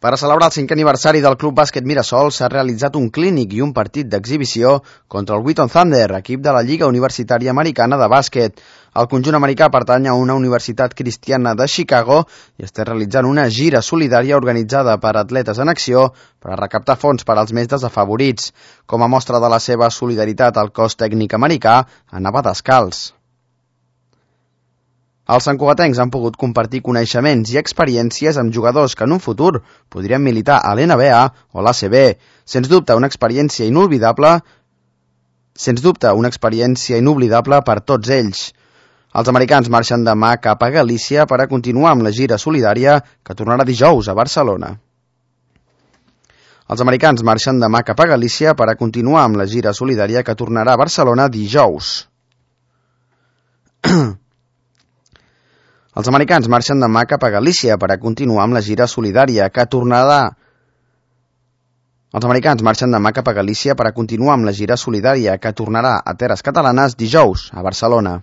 Per a celebrar el 5è aniversari del Club Bàsquet Mirasol s'ha realitzat un clínic i un partit d'exhibició contra el Wheaton Thunder, equip de la Lliga Universitària Americana de Bàsquet. El conjunt americà pertany a una universitat cristiana de Chicago i està realitzant una gira solidària organitzada per Atletes en Acció per a recaptar fons per als més desafavorits. Com a mostra de la seva solidaritat, el cos tècnic americà anava descalç. Els santcugatencs han pogut compartir coneixements i experiències amb jugadors que en un futur podrien militar a l'NBA o l'ACB. Sens dubte, una experiència inoblidable per tots ells. Els americans marxen demà cap a Galícia per a continuar amb la gira solidària que tornarà dijous a Barcelona. Els americans marxen demà cap a Galícia per a continuar amb la gira solidària que tornarà a Barcelona dijous. Els americans marxen demà cap a Galícia per a continuar amb la gira solidària que tornarà a Terres Catalanes dijous a Barcelona.